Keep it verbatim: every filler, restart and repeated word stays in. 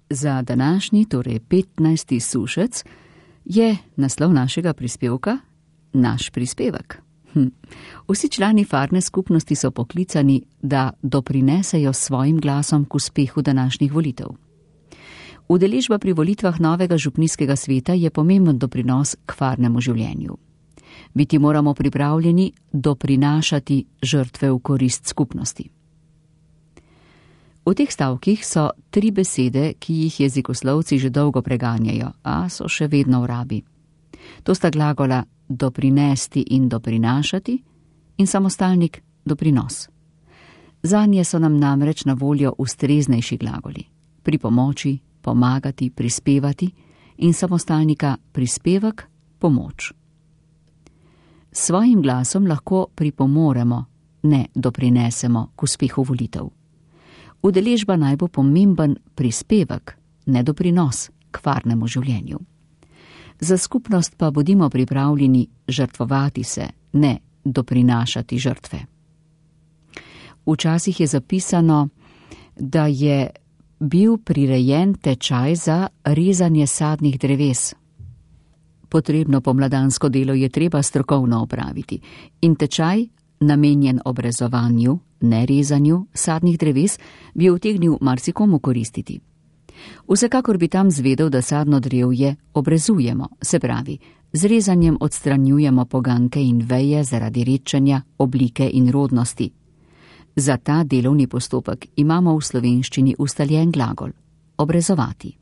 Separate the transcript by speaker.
Speaker 1: Za današnji, torej petnajsti sušec, je naslov našega prispevka Naš prispevek. Hm. Vsi člani farne skupnosti so poklicani, da doprinesejo svojim glasom k uspehu današnjih volitev. Udeležba pri volitvah novega župnijskega sveta je pomemben doprinos k farnemu življenju. Biti moramo pripravljeni doprinašati žrtve v korist skupnosti. V teh stavkih so tri besede, ki jih jezikoslovci že dolgo preganjajo, a so še vedno v rabi. To sta glagola doprinesti in doprinašati in samostalnik doprinos. Zanje so nam namreč na voljo ustreznejši glagoli. Pri pomoči, pomagati, prispevati in samostalnika prispevek, pomoč. S svojim glasom lahko pripomoremo, ne doprinesemo k uspehu volitev. Udeležba naj bo pomemben prispevek, ne doprinos k farnemu življenju. Za skupnost pa bodimo pripravljeni žrtvovati se, ne doprinašati žrtve. Včasih je zapisano, da je bil prirejen tečaj za rezanje sadnih dreves. Potrebno pomladansko delo je treba strokovno opraviti in tečaj, namenjen obrezovanju, ne rezanju sadnih dreves, bi utegnil marsikomu koristiti. Vsekakor bi tam zvedel, da sadno drevje obrezujemo, se pravi, z rezanjem odstranjujemo poganke in veje zaradi redčenja, oblike in rodnosti. Za ta delovni postopek imamo v slovenščini ustaljen glagol – obrezovati.